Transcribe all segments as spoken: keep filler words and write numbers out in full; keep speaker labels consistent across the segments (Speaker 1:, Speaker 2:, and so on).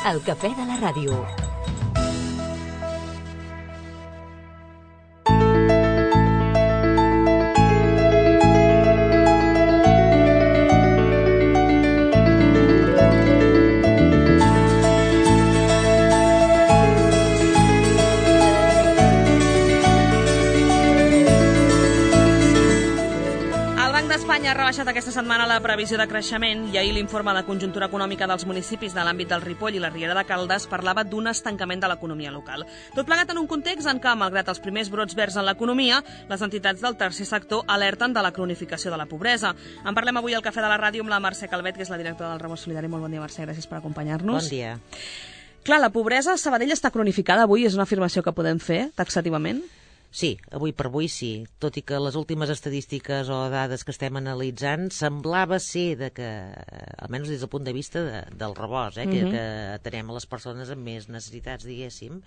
Speaker 1: El cafè de la ràdio.
Speaker 2: Espanya ha rebaixat aquesta setmana la previsió de creixement i ahir l'informe de conjuntura econòmica dels municipis de l'àmbit del Ripoll i la Riera de Caldes parlava d'un estancament de l'economia local. Tot plegat en un context en què, malgrat els primers brots verds en l'economia, les entitats del tercer sector alerten de la cronificació de la pobresa. En parlem avui al Cafè de la Ràdio amb la Mercè Calvet, que és la directora del Rebost Solidari. Molt bon dia, Mercè, gràcies per acompanyar-nos.
Speaker 3: Bon dia.
Speaker 2: Clar, la pobresa a Sabadell està cronificada avui, és una afirmació que podem fer taxativament?
Speaker 3: Sí, avui per avui sí, tot i que les últimes estadístiques o dades que estem analitzant semblava ser de que, almenys des del punt de vista de, del rebost, eh, que, uh-huh. que atenem a les persones amb més necessitats, diguéssim,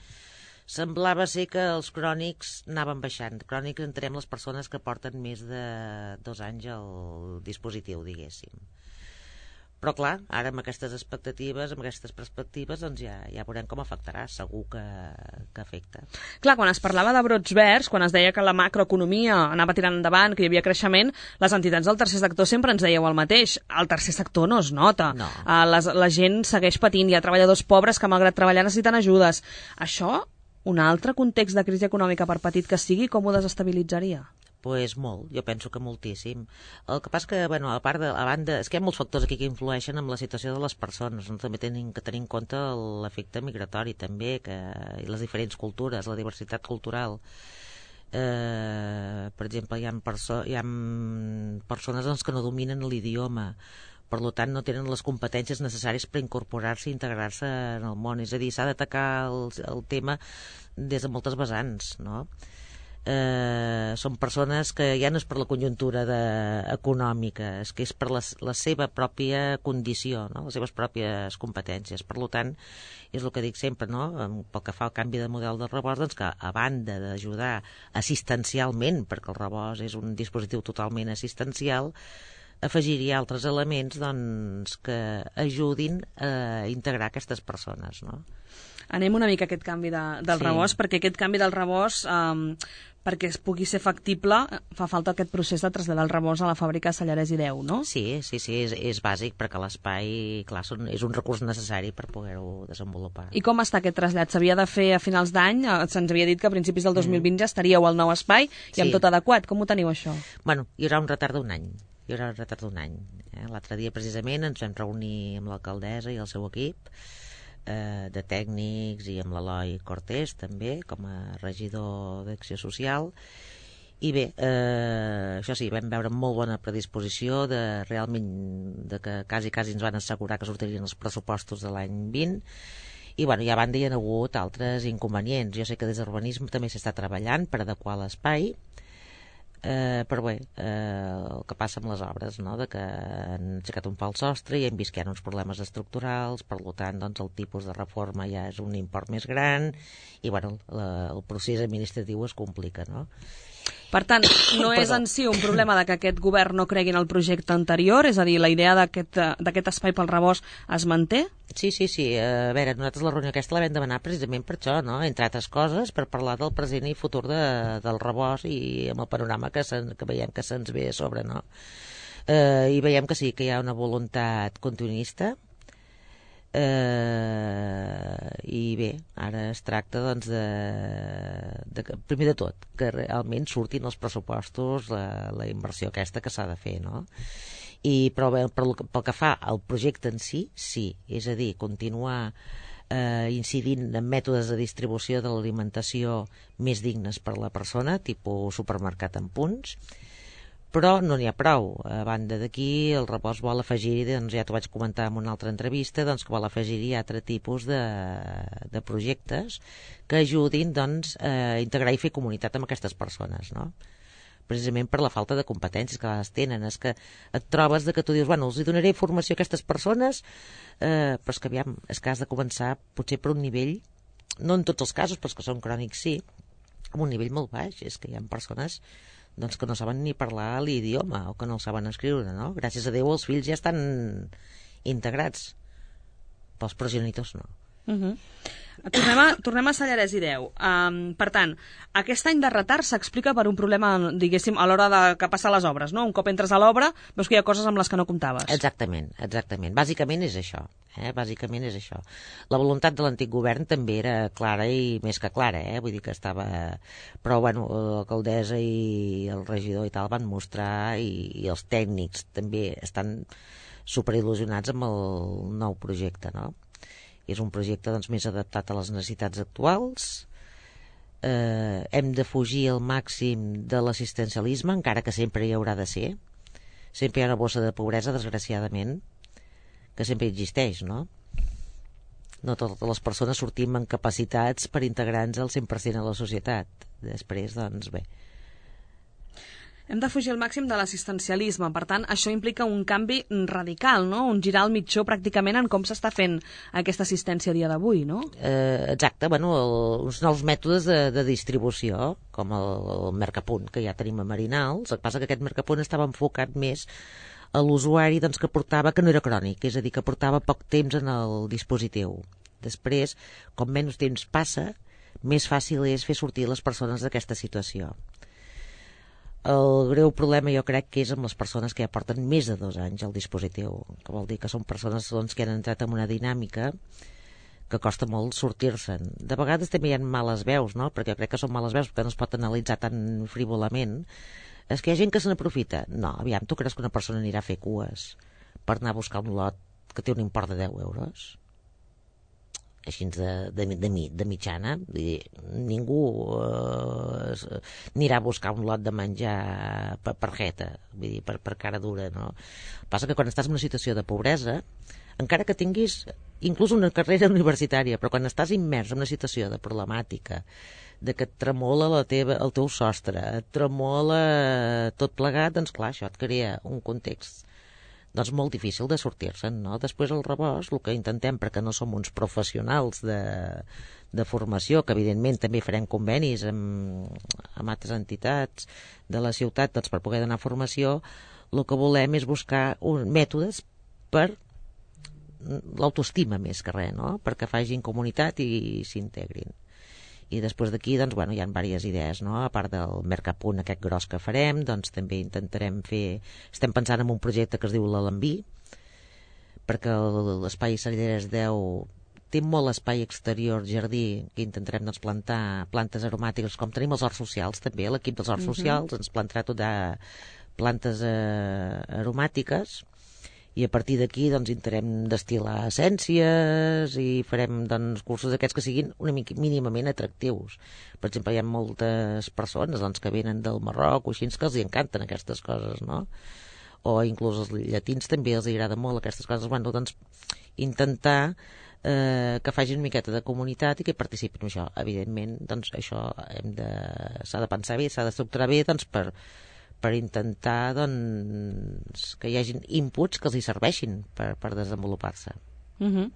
Speaker 3: semblava ser que els crònics anaven baixant. Crònics entenem les persones que porten més de dos anys al dispositiu, diguéssim. Però clar, ara amb aquestes expectatives, amb aquestes perspectives, doncs ja, ja veurem com afectarà, segur que, que afecta.
Speaker 2: Clar, quan es parlava de brots verds, quan es deia que la macroeconomia anava tirant endavant, que hi havia creixement, les entitats del tercer sector sempre ens dèieu el mateix. El tercer sector no es nota.
Speaker 3: No.
Speaker 2: Uh, les, la gent segueix patint, hi ha treballadors pobres que malgrat treballar necessiten ajudes. Això, un altre context de crisi econòmica, per petit que sigui, com ho desestabilitzaria?
Speaker 3: Pues molt, jo penso que moltíssim. El que passa que, bueno, a part de, a banda, és que hi ha molts factors aquí que influeixen en la situació de les persones, no? També tenim que tenir en compte l'efecte migratori, també, que, i les diferents cultures, la diversitat cultural. Eh, per exemple, hi ha, perso hi ha persones doncs, que no dominen l'idioma, per tant no tenen les competències necessàries per incorporar-se i integrar-se en el món. És a dir, s'ha d'atacar el, el tema des de moltes vessants, no? Eh, són persones que ja no és per la conjuntura de, econòmica, és que és per la, la seva pròpia condició, no? Les seves pròpies competències. Per tant, és el que dic sempre, no? Pel que fa al canvi de model del rebost, doncs que a banda d'ajudar assistencialment, perquè el rebost és un dispositiu totalment assistencial, afegiria altres elements doncs, que ajudin a integrar aquestes persones, no?
Speaker 2: Anem una mica a aquest canvi de, del sí. rebost, perquè aquest canvi del rebost, um, perquè es pugui ser factible, fa falta aquest procés de traslladar el rebost a la fàbrica de Sallarès i Deu, no?
Speaker 3: Sí, sí, sí, és, és bàsic, perquè l'espai, clar, són, és un recurs necessari per poder-ho desenvolupar.
Speaker 2: I com està aquest trasllat? S'havia de fer a finals d'any? Se'ns havia dit que a principis del dos mil vint ja estaríeu al nou espai i amb
Speaker 3: sí.
Speaker 2: tot adequat. Com ho teniu, això?
Speaker 3: Bueno, hi haurà un retard d'un any. Hi haurà un retard d'un any. Eh? L'altre dia, precisament, ens vam reunir amb l'alcaldessa i el seu equip, eh, de tècnics, i amb l'Eloi Cortés també, com a regidor d'Acció Social, i bé, eh, això sí, vam veure molt bona predisposició de realment, de que quasi quasi ens van assegurar que sortirien els pressupostos de l'any vint, i bueno, i a banda hi ha hagut altres inconvenients. Jo sé que des d'urbanisme també s'està treballant per adequar l'espai, Eh, però bé, eh, el que passa amb les obres, no? De que han aixecat un fals sostre i hem vist que hi ha uns problemes estructurals, per tant doncs, el tipus de reforma ja és un import més gran i bueno, la, el procés administratiu es complica, no?
Speaker 2: Per tant, no és en si un problema de que aquest govern no cregui en el projecte anterior, és a dir, la idea d'aquest espai pel rebost es manté?
Speaker 3: Sí, sí, sí. A veure, nosaltres la reunió aquesta la vam demanar precisament per això, no? Entre altres coses, per parlar del present i futur de, del rebost i amb el panorama que, se, que veiem que se'ns ve a sobre, no? Eh, I veiem que sí, que hi ha una voluntat continuista, Eh, i bé, ara es tracta doncs de, de primer de tot que realment surtin els pressupostos la, la inversió aquesta que s'ha de fer, no? I però bé, pel, pel que fa al projecte en si, sí, és a dir, continuar eh, incidint en mètodes de distribució de l'alimentació més dignes per a la persona, tipus supermercat en punts. Però no n'hi ha prou. A banda d'aquí, el rebost vol afegir-hi, doncs ja t'ho vaig comentar en una altra entrevista, doncs que vol afegir-hi altre tipus de, de projectes que ajudin doncs, a integrar i fer comunitat amb aquestes persones, no? Precisament per la falta de competències que les tenen. És que et trobes de que tu dius, bueno, els donaré formació a aquestes persones, eh, però és que aviam, és que has de començar potser per un nivell, no en tots els casos, però és que són crònics sí, amb un nivell molt baix. És que hi ha persones doncs que no saben ni parlar l'idioma o que no el saben escriure, no? Gràcies a Déu els fills ja estan integrats, però els progenitors no.
Speaker 2: Uh-huh. Tornem a, tornem a Sallarès i Deu. Um, per tant, aquest any de retard s'explica per un problema, diguéssim, a l'hora de que passen les obres, no? Un cop entres a l'obra, veus que hi ha coses amb les que no comptaves.
Speaker 3: Exactament, exactament. Bàsicament és això. Eh? Bàsicament és això. La voluntat de l'antic govern també era clara i més que clara, eh? Vull dir que estava... Però, bueno, l'alcaldessa i el regidor i tal van mostrar, i, i els tècnics també estan superil·lusionats amb el nou projecte, no? És un projecte doncs, més adaptat a les necessitats actuals. Eh, hem de fugir al màxim de l'assistencialisme, encara que sempre hi haurà de ser. Sempre hi ha una bossa de pobresa, desgraciadament, que sempre existeix, no? No totes les persones sortim amb capacitats per integrar-nos al cent per cent a la societat. Després, doncs, bé.
Speaker 2: Hem de fugir al màxim de l'assistencialisme. Per tant, això implica un canvi radical, no? Un girar al mitjó pràcticament en com s'està fent aquesta assistència a dia d'avui, no?
Speaker 3: Eh, exacte, bueno, el, uns nous mètodes de, de distribució, com el, el Mercapunt, que ja tenim a Marinals. El que passa que aquest Mercapunt estava enfocat més a l'usuari doncs, que portava, que no era crònic, és a dir, que portava poc temps en el dispositiu. Després, com menys temps passa, més fàcil és fer sortir les persones d'aquesta situació. El greu problema jo crec que és amb les persones que ja porten més de dos anys al dispositiu, que vol dir que són persones doncs, que han entrat en una dinàmica que costa molt sortir-se'n. De vegades també hi ha males veus, no? Perquè jo crec que són males veus perquè no es pot analitzar tan frívolament. És que hi ha gent que se n'aprofita. No, aviam, tu creus que una persona anirà a fer cues per anar a buscar un lot que té un import de deu euros? Així de, de, de, de mitjana, vull dir, ningú eh, anirà a buscar un lot de menjar per, per jeta, vull dir, per, per cara dura, no? Passa que quan estàs en una situació de pobresa, encara que tinguis inclús una carrera universitària, però quan estàs immers en una situació de problemàtica, de que et tremola la teva, el teu sostre, et tremola tot plegat, doncs clar, això et crea un context doncs molt difícil de sortir-se'n, no? Després al rebost, el que intentem, perquè no som uns professionals de, de formació, que evidentment també farem convenis amb, amb altres entitats de la ciutat doncs, per poder donar formació, el que volem és buscar un, mètodes per l'autoestima més que res, no? Perquè facin comunitat i s'integrin. I després d'aquí, doncs, bueno, hi ha diverses idees, no? A part del Mercapunt aquest gros que farem, doncs també intentarem fer... Estem pensant en un projecte que es diu l'Alambí, perquè l'espai Sallarès deu té molt espai exterior, jardí, que intentarem doncs, plantar plantes aromàtiques, com tenim els horts socials, també, l'equip dels horts uh-huh. socials ens plantarà tot de plantes eh, aromàtiques, i a partir d'aquí doncs, intentarem destil·lar essències i farem doncs, cursos d'aquests que siguin una mica mínimament atractius. Per exemple, hi ha moltes persones doncs, que venen del Marroc o així que els encanten aquestes coses, no? O inclús els llatins també els agrada molt aquestes coses. Bueno, doncs, intentar eh, que facin una miqueta de comunitat i que participin en això. Evidentment, doncs, això hem de, s'ha de pensar bé, s'ha d'estructurar bé doncs, per per intentar doncs, que hi hagin inputs que els hi serveixin per, per desenvolupar-se.
Speaker 2: Uh-huh.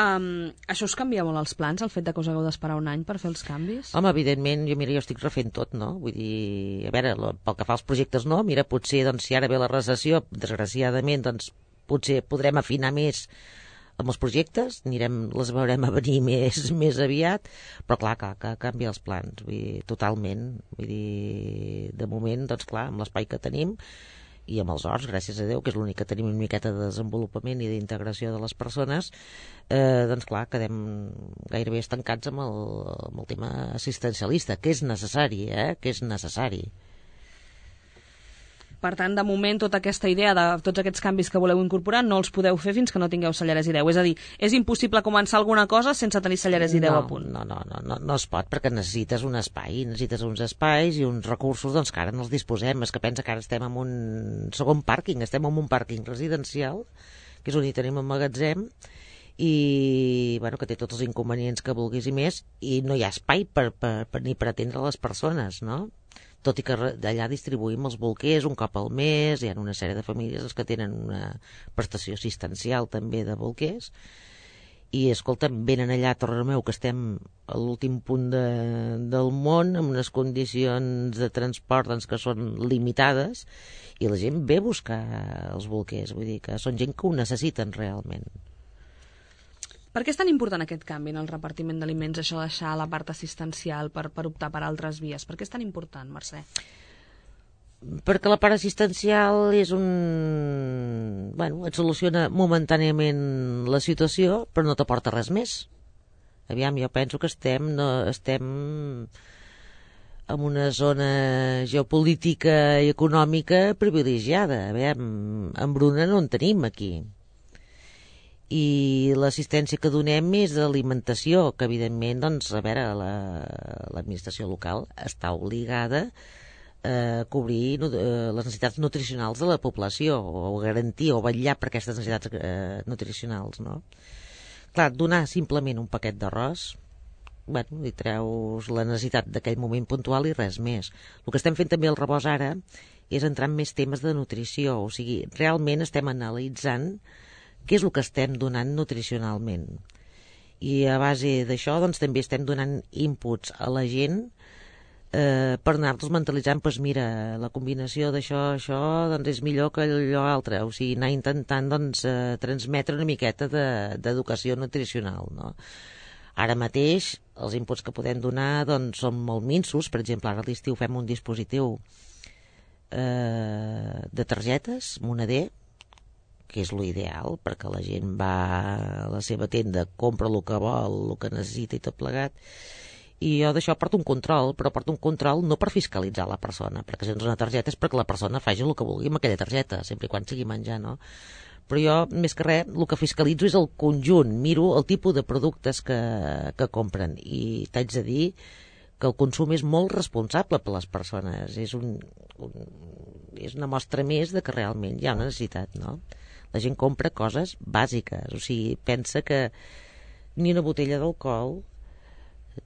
Speaker 2: um, això us canvia molt els plans, el fet de que us hagueu d'esperar un any per fer els canvis?
Speaker 3: Home, evidentment, jo, mira, jo estic refent tot, no? Vull dir, a veure, pel que fa als projectes no, mira, potser, doncs, si ara ve la recessió, desgraciadament, doncs, potser podrem afinar més amb els projectes, anirem, les veurem a venir més, més aviat, però clar, que, que canvia els plans, vull dir, totalment, vull dir, de moment, doncs clar, amb l'espai que tenim i amb els horts, gràcies a Déu, que és l'únic que tenim una miqueta de desenvolupament i d'integració de les persones, eh, doncs clar, quedem gairebé estancats amb el, amb el tema assistencialista, que és necessari, eh, que és necessari.
Speaker 2: Per tant, de moment, tota aquesta idea de tots aquests canvis que voleu incorporar no els podeu fer fins que no tingueu Sallarès i Deu. És a dir, és impossible començar alguna cosa sense tenir Sallarès i Deu
Speaker 3: no,
Speaker 2: a punt.
Speaker 3: No, no, no, no, no es pot, perquè necessites un espai, necessites uns espais i uns recursos doncs, que ara no els disposem. És que pensa que ara estem en un segon pàrquing, estem en un pàrquing residencial, que és on hi tenim un magatzem, i bueno, que té tots els inconvenients que vulguis i més, i no hi ha espai per, per, per, ni per atendre les persones, no? Tot i que d'allà distribuïm els bolquers un cop al mes, hi ha una sèrie de famílies que tenen una prestació assistencial també de bolquers, i escolta'm, venen allà a Torrelameu, que estem a l'últim punt de, del món, amb unes condicions de transport doncs, que són limitades, i la gent ve a buscar els bolquers, vull dir que són gent que ho necessiten realment.
Speaker 2: Per què és tan important aquest canvi en el repartiment d'aliments, això de deixar la part assistencial per, per optar per altres vies? Per què és tan important, Mercè?
Speaker 3: Perquè la part assistencial és un... Bueno, et soluciona momentàniament la situació, però no t'aporta res més. Aviam, jo penso que estem, no, estem en una zona geopolítica i econòmica privilegiada. Aviam, embruna no en tenim aquí. I l'assistència que donem és d'alimentació, que evidentment, doncs, a veure, l'administració local està obligada a cobrir eh, les necessitats nutricionals de la població, o garantir o vetllar per aquestes necessitats eh, nutricionals, no? Clar, donar simplement un paquet d'arròs, bueno, li treus la necessitat d'aquell moment puntual i res més. El que estem fent també al rebost ara és entrar en més temes de nutrició, o sigui, realment estem analitzant què és el que estem donant nutricionalment. I a base d'això, doncs, també estem donant inputs a la gent eh, per anar-los mentalitzant, doncs mira, la combinació d'això, això, doncs és millor que allò altre. O sigui, anar intentant, doncs, eh, transmetre una miqueta d'educació de, nutricional, no? Ara mateix, els inputs que podem donar, doncs, són molt minsos. Per exemple, ara a l'estiu fem un dispositiu eh, de targetes, moneder, que és l'ideal, perquè la gent va a la seva tenda, compra el que vol, el que necessita i tot plegat, i jo d'això porto un control, però porto un control no per fiscalitzar la persona, perquè si ens dona targeta és perquè la persona faci el que vulgui amb aquella targeta, sempre i quan sigui menjar, no? Però jo, més que res, el que fiscalitzo és el conjunt, miro el tipus de productes que, que compren, i t'haig de dir que el consum és molt responsable per les persones, és, un, un, és una mostra més de que realment hi ha una necessitat, no? La gent compra coses bàsiques, o sigui, pensa que ni una botella d'alcohol,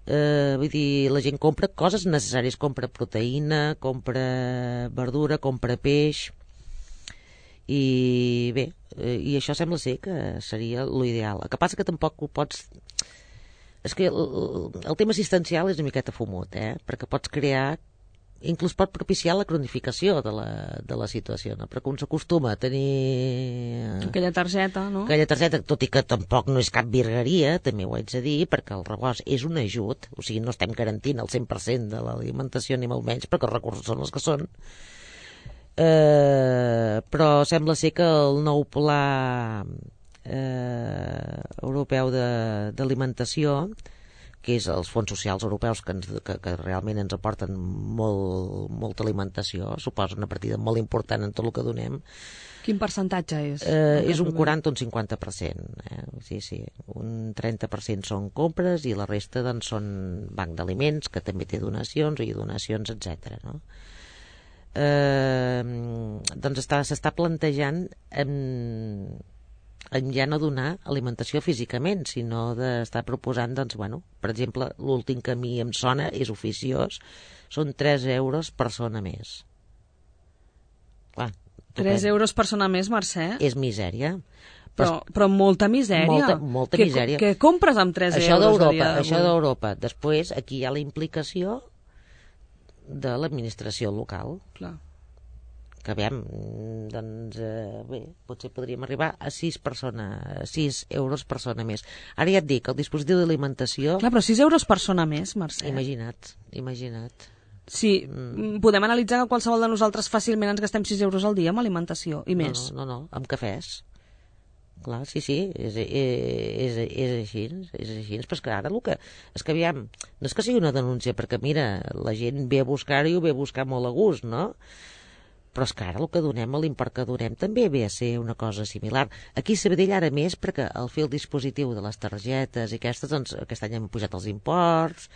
Speaker 3: eh, vull dir, la gent compra coses necessàries, compra proteïna, compra verdura, compra peix, i bé, eh, i això sembla ser que seria l'ideal. El que passa que tampoc ho pots... És que el, el tema assistencial és una miqueta fumut, eh? Perquè pots crear, inclús pot propiciar la cronificació de la, de la situació, no? Perquè un s'acostuma a tenir...
Speaker 2: Aquella targeta, no?
Speaker 3: Aquella targeta, tot i que tampoc no és cap virgueria, també ho haig de dir, perquè el rebost és un ajut, o sigui, no estem garantint el cent per cent de l'alimentació ni molt menys, perquè els recursos són els que són. Eh, però sembla ser que el nou pla eh, europeu d'alimentació, que és els fons socials europeus que, ens, que, que realment ens aporten molt, molta alimentació, suposa una partida molt important en tot el que donem.
Speaker 2: Quin percentatge és?
Speaker 3: Eh, és un quaranta o un cinquanta per cent. Eh? Sí, sí. Un trenta per cent són compres i la resta, doncs, són banc d'aliments, que també té donacions i donacions, etcètera, no? Eh, doncs s'està plantejant en, en ja no donar alimentació físicament, sinó d'estar proposant, doncs, bueno, per exemple, l'últim que a mi em sona és oficiós, són tres euros persona més. Clar,
Speaker 2: tres euros persona més, Mercè?
Speaker 3: És misèria.
Speaker 2: Però, però molta misèria.
Speaker 3: Molta, molta
Speaker 2: que,
Speaker 3: misèria.
Speaker 2: Què compres amb tres
Speaker 3: això
Speaker 2: euros a dia
Speaker 3: d'Europa? Això
Speaker 2: d'avui?
Speaker 3: d'Europa. Després, aquí hi ha la implicació de l'administració local.
Speaker 2: Clar.
Speaker 3: Que veiem, doncs, eh, bé, potser podríem arribar a sis euros persona més. Ara ja et dic, el dispositiu d'alimentació...
Speaker 2: Clar, però sis euros persona més, Mercè.
Speaker 3: Imagina't, imagina't.
Speaker 2: Sí, mm. podem analitzar que qualsevol de nosaltres fàcilment ens gastem sis euros al dia amb alimentació, i més.
Speaker 3: No, no, no, no, amb cafès. Clar, sí, sí, és, és, és així, és així, però és que ara el que... És que, aviam, no és que sigui una denúncia, perquè, mira, la gent ve a buscar-ho i ho ve a buscar molt a gust, no? Però és que ara el que donem, l'import que donem, també ve a ser una cosa similar. Aquí a Sabadell ara més, perquè al fer el dispositiu de les targetes i aquestes, doncs, aquest any hem pujat els imports,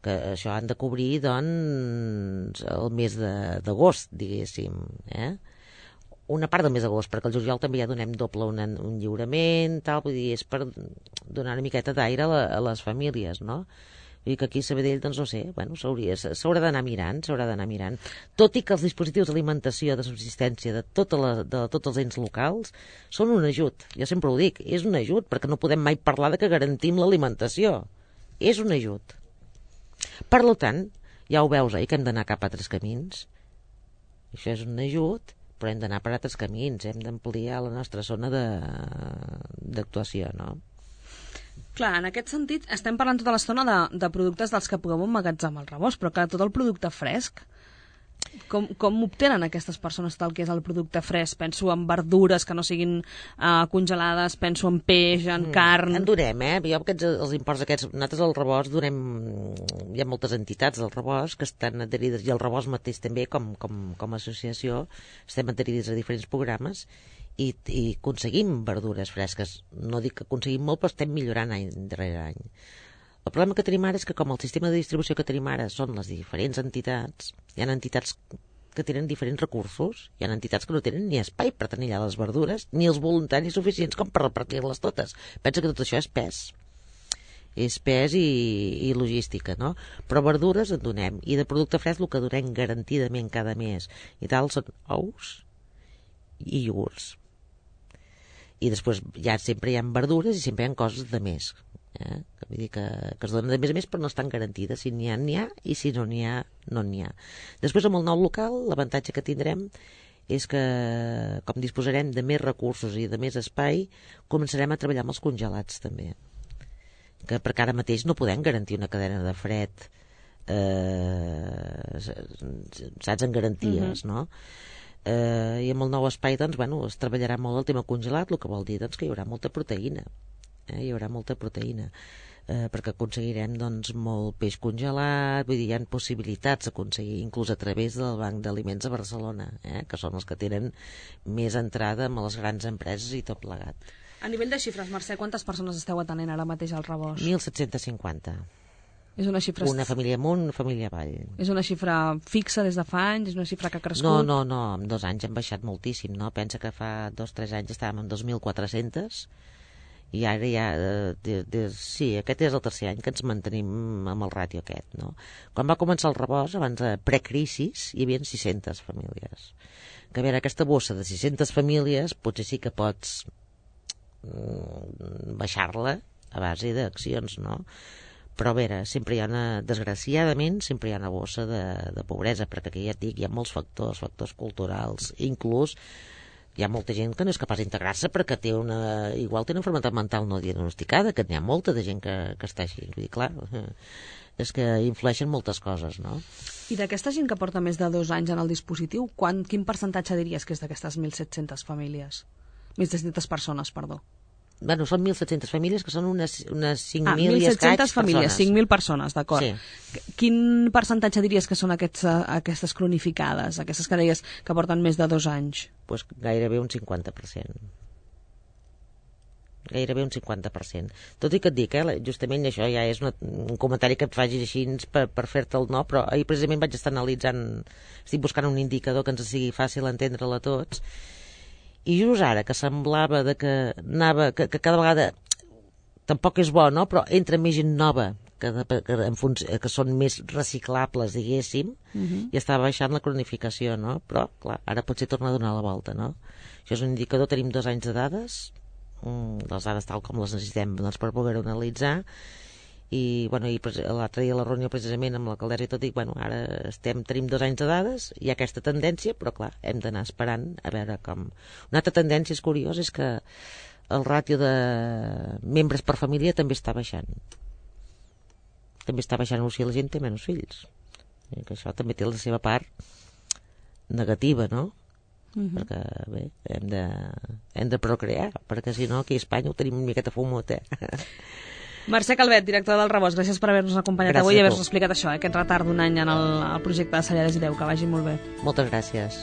Speaker 3: que això han de cobrir, doncs, el mes d'agost, diguéssim, eh? Una part del mes d'agost, perquè el juliol també ja donem doble un, un lliurament, tal, vull dir, és per donar una miqueta d'aire a, a les famílies, no? Vull dir que aquí a Sabadell, doncs no sé, bueno, s'haurà d'anar mirant, s'haurà d'anar mirant. Tot i que els dispositius d'alimentació, de subsistència de, tota la, de tots els ens locals són un ajut. Jo sempre ho dic, és un ajut, perquè no podem mai parlar de que garantim l'alimentació. És un ajut. Per tant, ja ho veus, eh, que hem d'anar cap a altres camins. Això és un ajut, però hem d'anar per altres camins, hem d'ampliar la nostra zona d'actuació, no?
Speaker 2: Clar, en aquest sentit, estem parlant tota l'estona de, de productes dels que puguem emmagatzemar al rebost, però clar, tot el producte fresc, com, com obtenen aquestes persones tal que és el producte fresc? Penso en verdures que no siguin uh, congelades, penso en peix, en mm, carn...
Speaker 3: En donem, eh? Jo aquests, els imports aquests, nosaltres al rebost donem... Hi ha moltes entitats del rebost que estan adherides, i el rebost mateix també, com, com, com a associació, estem adherides a diferents programes, i, i aconseguim verdures fresques. No dic que aconseguim molt, però estem millorant any darrere any. El problema que tenim ara és que com el sistema de distribució que tenim ara són les diferents entitats, hi ha entitats que tenen diferents recursos, hi ha entitats que no tenen ni espai per tenir allà les verdures, ni els voluntaris suficients com per repartir-les totes. Pensa que tot això és pes. És pes i, i logística, no? Però verdures en donem, i de producte fresc el que donem garantidament cada mes i tal són ous i iogurts. I després ja sempre hi ha verdures i sempre hi ha coses de més. Eh? Vull dir que, que es donen de més a més, però no estan garantides. Si n'hi ha, n'hi ha, i si no n'hi ha, no n'hi ha. Després, amb el nou local, l'avantatge que tindrem és que, com disposarem de més recursos i de més espai, començarem a treballar amb els congelats també, que perquè ara mateix no podem garantir una cadena de fred, eh, saps, en garanties, uh-huh. no? Eh, i amb el nou espai, doncs, bueno, es treballarà molt el tema congelat, el que vol dir, doncs, que hi haurà molta proteïna. Eh, hi haurà molta proteïna, eh, perquè aconseguirem doncs, molt peix congelat, vull dir, hi ha possibilitats d'aconseguir, inclús a través del Banc d'Aliments a Barcelona, eh, que són els que tenen més entrada amb les grans empreses i tot plegat.
Speaker 2: A nivell de xifres, Mercè, quantes persones esteu atenent ara mateix al rebost?
Speaker 3: mil set-cents cinquanta.
Speaker 2: És una xifra...
Speaker 3: Una família amunt, una família avall.
Speaker 2: És una xifra fixa des de fa anys? És una xifra que ha crescut?
Speaker 3: No, no, no, en dos anys hem baixat moltíssim, no? Pensa que fa dos o tres anys estàvem en dos mil quatre-cents i ara ja, de, de, sí, aquest és el tercer any que ens mantenim amb el ràtio aquest, no? Quan va començar el rebost, abans de precrisis, hi havia sis-centes famílies. Que a veure, aquesta bossa de sis-centes famílies potser sí que pots mm, baixar-la a base d'accions, no? Però a veure, sempre hi ha una, desgraciadament, sempre hi ha una bossa de, de pobresa, perquè aquí ja et dic, hi ha molts factors, factors culturals, inclús hi ha molta gent que no és capaç d'integrar-se perquè té una, igual té una malaltia mental no diagnosticada, que n'hi ha molta de gent que, que està així. Vull dir, clar, és que influeixen moltes coses, no?
Speaker 2: I d'aquesta gent que porta més de dos anys en el dispositiu, quan, quin percentatge diries que és d'aquestes mil set-centes famílies? mil set-centes persones, perdó.
Speaker 3: Bueno, són mil set-centes famílies, que són unes, unes cinc mil
Speaker 2: ah,
Speaker 3: i escaig
Speaker 2: famílies,
Speaker 3: persones.
Speaker 2: cinc mil persones, d'acord.
Speaker 3: Sí.
Speaker 2: Quin percentatge diries que són aquests, aquestes cronificades, aquestes que deies que porten més de dos anys?
Speaker 3: Pues gairebé un cinquanta per cent. Gairebé un cinquanta per cent. Tot i que et dic, eh, justament això ja és una, un comentari que et facis així per, per fer-te el no, però ahir precisament vaig estar analitzant, estic buscant un indicador que ens sigui fàcil entendre-la a tots, i just ara que semblava de que anava, que, que cada vegada tampoc és bo, no? Però entra més gent nova que, de, que, en func que són més reciclables, diguéssim, uh-huh. i està baixant la cronificació, no? Però, clar, ara potser torna a donar la volta, no? Això és un indicador, tenim dos anys de dades, mm, les dades tal com les necessitem doncs, per poder-ho analitzar, i, bueno, i l'altre dia a la reunió precisament amb l'alcaldessa i tot, dic, bueno, ara estem, tenim dos anys de dades, hi ha aquesta tendència, però clar, hem d'anar esperant a veure com... Una altra tendència és curiós, és que el ràtio de membres per família també està baixant. També està baixant, o sigui, la gent té menys fills. I que això també té la seva part negativa, no? Uh-huh. Perquè, bé, hem de, hem de procrear, perquè si no, aquí a Espanya ho tenim una miqueta fumot, eh?
Speaker 2: Mercè Calvet, director del Rebost, gràcies per haver-nos acompanyat
Speaker 3: gràcies
Speaker 2: avui i haver-nos explicat això, eh, aquest retard d'un any en el, el projecte de Cellers i Deu, que vagi molt bé.
Speaker 3: Moltes gràcies.